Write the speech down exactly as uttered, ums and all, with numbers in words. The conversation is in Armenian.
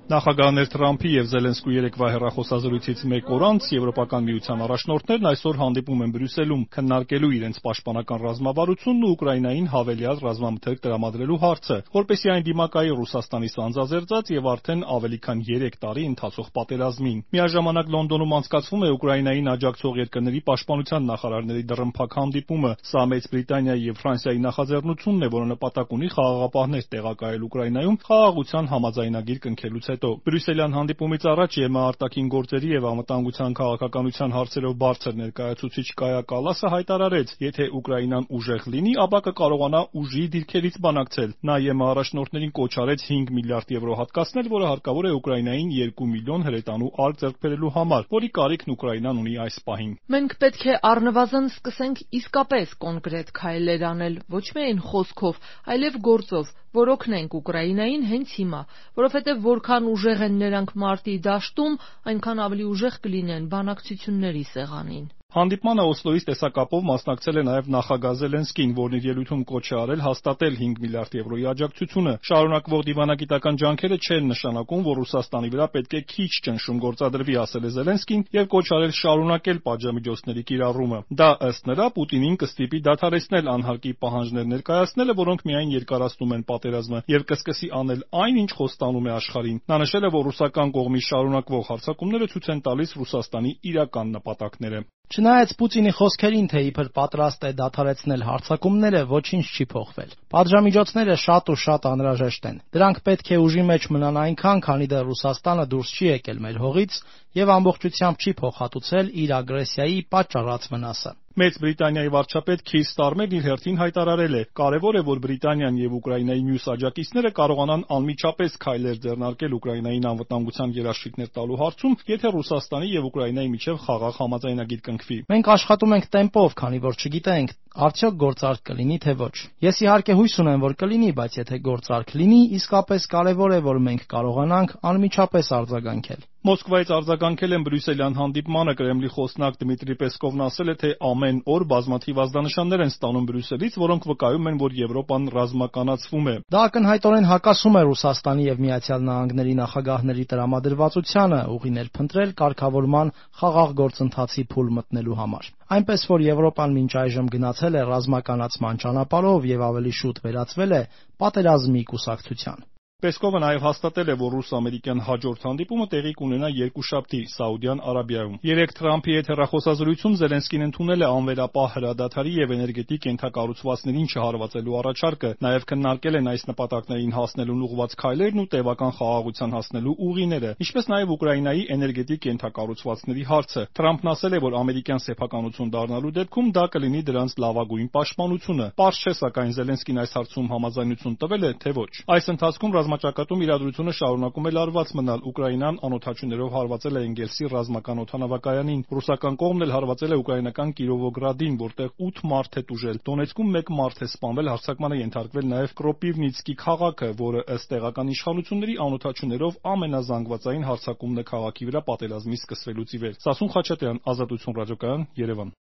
Նախագահներ Թրամփի եւ Զելենսկու երեկվա հեռախոսազրույցից մեկ օր անց Եվրոպական միության առաջնորդներն այսօր հանդիպում են Բրյուսելում քննարկելու իրենց պաշտպանական ռազմավարությունն ու Ուկրաինային հավելյալ ռազմամթերք տրամադրելու հարցը, որպեսզի այն դիմակայի Ռուսաստանի սանձազերծած եւ արդեն ավելի քան երեք տարի ընթացող պատերազմին։ Միաժամանակ Լոնդոնում անցկացվում է Ուկրաինային աջակցող երկրների պաշտպանության նախարարների դռնփակ հանդիպումը։ Սա Մեծ Բրիտանիայի եւ Ֆրանսիայի նախաձեռնությունն է, որը նպատակ ունի խաղաղապահներ տեղակայել Ուկրաինայում խաղաղության համաձայնագիր կնքելուց հետո։ Բրյուսելյան հանդիպումից առաջ ԵՄ արտաքին գործերի եւ անվտանգության քաղաքականության հարցերով բարձր ներկայացուցիչ Կայա Կալասը հայտարարեց, եթե Ուկրաինան ուժեղ լինի, ապա կկարողանա ուժի դիրքերից բանակցել։ Նա ԵՄ առաջնորդներին կոչ արեց հինգ միլիարդ եվրո հատկացնել, որը հարկավոր է Ուկրաինային երկու միլիոն հրետանու արկ ձեռք բերելու համար, որի կարիքն Ուկրաինան ունի այս պահին։ Մենք պետք է առնվազն սկսենք իսկապես կոնկրետ քայլեր անել, ոչ միայն խոսքով, այլև գործով, որ օգնենք Ուկրաինային հենց հիմա, որովհետև որքան ուժեղ են նրանք մարտի դաշտում, այնքան ավելի ուժեղ կլինեն բանակցությունների սեղանին։ Հանդիպմանը Օսլոյից տեսակապով մասնակցել է նաև նախագահ Զելենսկին, որն իր ելույթում կոչ է արել հաստատել հինգ միլիարդ եվրոյի աջակցությունը։ Շարունակվող դիվանագիտական ջանքերը չեն նշանակում, որ Ռուսաստանի վրա պետք է քիչ ճնշում գործադրվի, ասել է Զելենսկին եւ կոչ արել շարունակել պատժամիջոցների կիրառումը։ Դա ըստ նրա Պուտինին կստիպի դադարեցնել անհարկի պահանջներ ներկայացնելը, որոնք միայն երկարացնում են պատերազմը, եւ կսկսի անել այն, ինչ խոստանում է աշխարհին։ Նա նշել է, որ ռուսական կողմի շարունակվող հարձակումները ցույց են տալիս Ռուսաստանի իրական նպատակները։ Չնայած Պուտինի խոսքերին, թե իբր պատրաստ է դադարեցնել հարձակումները, ոչինչ չի փոխվել։ Պատժամիջոցները շատ ու շատ անհրաժեշտ են։ Դրանք պետք է ուժի մեջ մնան այնքան, քանի դեռ Ռուսաստանը դուրս չի եկել մեր հողից եւ ամբողջությամբ չի փոխհատուցել իր ագրեսիայի պատճառած վնասը։ Մեծ Բրիտանիայի վարչապետ Քիր Ստարմերն իր հերթին հայտարարել է. «Կարևոր է, որ Բրիտանիան եւ Ուկրաինայի մյուս աջակիցները կարողանան անմիջապես քայլեր ձեռնարկել Ուկրաինային անվտանգության երաշխիքներ տալու հարցում, եթե Ռուսաստանի եւ Ուկրաինայի միջեւ խաղաղ համաձայնագիր կնքվի»։ Մենք աշխատում ենք տեմպով, քանի որ չգիտենք արդյոք գործարք կլինի թե ոչ։ Ես իհարկե հույս ունեմ, որ կլինի, բայց եթե գործարք լինի, իսկապես կարևոր է, որ մենք կարողանանք անմիջապես արձագանքել։ Մոսկվայից արձագանքել են Բրյուսելյան հանդիպմանը Կրեմլի խոսնակ Դմիտրի Պեսկովն ասել է, թե ամեն օր բազմաթիվ ազդանշաններ են ստանում Բրյուսելից, որոնք վկայում են, որ Եվրոպան ռազմականացվում է։ Դա ակնհայտորեն հակասում է Ռուսաստանի եւ Միացյալ Նահանգների նախագահների տրամադրվածությանը ուղիներ փնտրել կարգավորման խաղաղ գործընթացի փուլ մտնելու համար։ Այնպես որ Եվրոպան մինչ այժմ գնացել է ռազմականացման ճանապարհով եւ ավելի շուտ վերածվել է պատերազմի կուսակցության։ Պեսկովը նաև հաստատել է, որ ռուս-ամերիկյան հաջորդ հանդիպումը տեղի կունենա երկուշաբթի Սաուդյան Արաբիայում։ Երեկ Թրամփի հետ հեռախոսազրույցում Զելենսկին ընդունել է անվերապահ հրադադարի եւ էներգետիկ ենթակառուցվածքներին չհարվածելու առաջարկը, նաև քննարկել են այս նպատակներին հասնելուն ուղղված քայլերն ու տևական խաղաղության հասնելու ուղիները, ինչպես նաև Ուկրաինայի էներգետիկ ենթակառուցվածքների հարցը։ Թրամփն ասել է, որ ամերիկյան սեփականություն դառնալու դեպքում դա կլինի դրանց լավագույն պաշտպանությունը։ Պարզ չէ, սակայն Զելենսկին այս հարցում համաձայնություն տվել է, թե ոչ։ Այս ընթացքում ռազմաճակատում իրադրությունը շարունակում է լարված մնալ։ Ուկրաինան անօդաչուներով հարվածել է Էնգելսի ռազմական օդանավակայանին։ Ռուսական կողմն էլ հարվածել է ուկրաինական Կիրովոգրադին, որտեղ ութ մարդ է տուժել։ Դոնեցկում մեկ մարդ է սպանվել, հարձակման է ենթարկվել նաև Կրոպիվնիցկի քաղաքը, որը ըստ տեղական իշխանությունների անօդաչուներով ամենազանգվածային հարձակումն է քաղաքի վրա պատերազմի սկսվելուց ի վեր։ Սասուն Խաչատրյան, Ազատություն ռադիոկայան, Երևան։